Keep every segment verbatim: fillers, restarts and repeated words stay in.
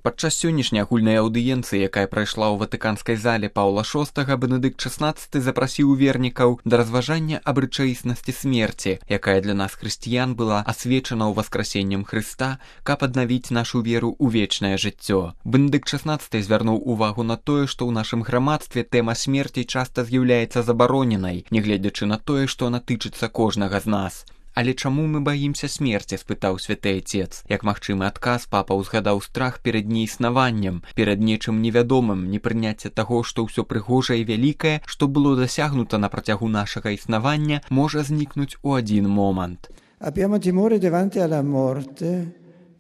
Падчас сённяшняй агульнай аўдыенцыі, якая прайшла ў ватыканскай зале Паўла шостага, Бенедыкт шаснаццаты запрасіў вернікаў да разважання аб рэчаіснасці смерці, якая для нас, хрысціян, была асвечана ў васкрасеннем Хрыста, каб аднавіць нашу веру ў вечнае жыццё. Бенедыкт шаснаццаты звярнуў увагу на тое, што ў нашым грамадстве тэма смерці часта з'яўляецца забароненай, нягледзячы на тое, што она тычыцца кожнага з нас. Але чаму мы баімся смерці, спытаў святы Айцец. Як магчымы адказ, папа ўзгадаў страх перад неіснаваннем, перад нечым невядомым, непрыняцце таго, што ўсё прыгожае і вялікае, што было дасягнута на працягу нашага існавання, можа знікнуць у адзін момант. Abbiamo timore davanti alla morte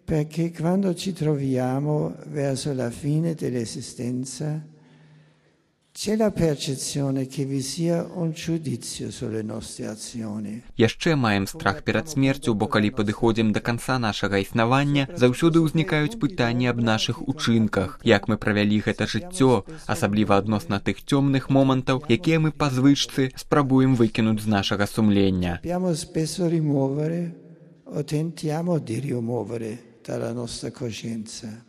perché quando ci troviamo verso la fine dell'esistenza c'è la percezione che vi sia un giudizio sulle nostre azioni. Яшчэ маем страх перад смерцю, бо калі падыходзім да канца нашага існавання, заўсёды ўзнікаюць пытанні аб нашых учынках, як мы правялі гэта жыццё, асабліва адносна тых цёмных момантаў, якія мы па звычцы спрабуем выкінуць з нашага сумлення. Dobbiamo spesso rimuovere o tentiamo di rimuovere dalla nostra coscienza.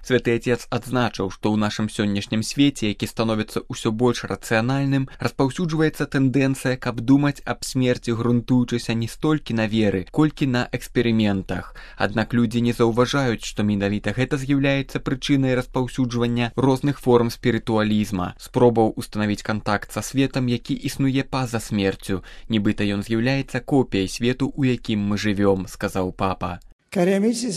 Святы Отец адзначыў, што ў нашым сённяшнім свеце, які становіцца ўсё больш рацыянальным, распаўсюджваецца тэндэнцыя, каб думаць аб смерці, грунтуючыся не столькі на веры, колькі на эксперыментах. Аднак людзі не заўважаюць, што менавіта гэта з'яўляецца прычынай распаўсюджвання розных форм спірытуалізма, спробаў устанавіць кантакт са светам, які існуе па-за смерцю, нібыта ён з'яўляецца копіяй свету, у якім мы жывём, сказаў папа. Cari amici,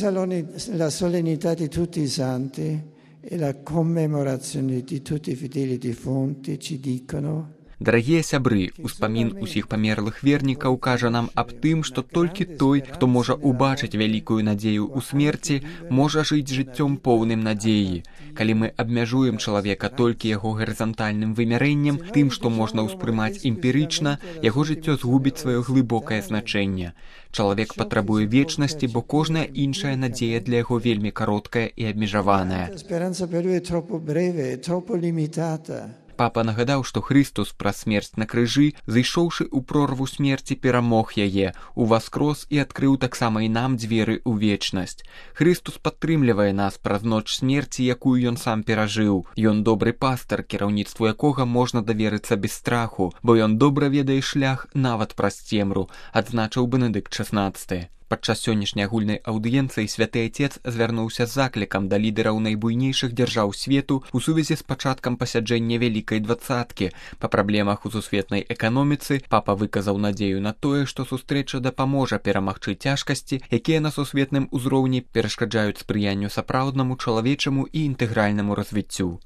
la solennità di tutti i santi e la commemorazione di tutti i fedeli defunti ci dicono. Дарагія сябры, успамін усіх памерлых вернікаў кажа нам аб тым, што толькі той, хто можа ўбачыць вялікую надзею ў смерці, можа жыць жыццём поўным надзеі. Калі мы абмяжуем чалавека толькі яго гарызантальным вымярэннем, тым, што можна ўспрымаць эмпірычна, яго жыццё згубіць сваё глыбокае значэнне. Чалавек патрабуе вечнасці, бо кожная іншая надзея для яго вельмі кароткая і абмежаваная. Папа нагадаў, што Христус праз смерць на крыжы, зайшоўшы ў прорву смерці, перамог яе, уваскрос і адкрыў таксама і нам дзверы ў вечнасць. Христус падтрымлівае нас праз ноч смерці, якую ён сам перажыў. Ён добры пастар, кіраўніцтву якога можна даверыцца без страху, бо ён добра ведае шлях нават праз цемру, адзначыў Бенедыкт шаснаццаты. Падчас сённяшняй агульнай аўдыенцыі святы Айцец звярнуўся з заклікам да лідараў найбуйнейшых дзяржаў свету ў сувязі з пачаткам пасяджэння Вялікай дваццаткі. Па праблемах у сусветнай эканоміцы папа выказаў надзею на тое, што сустрэча дапаможа перамагчы цяжкасці, якія на сусветным узроўні перашкаджаюць спрыянню сапраўднаму чалавечаму і інтэгральнаму развіццю.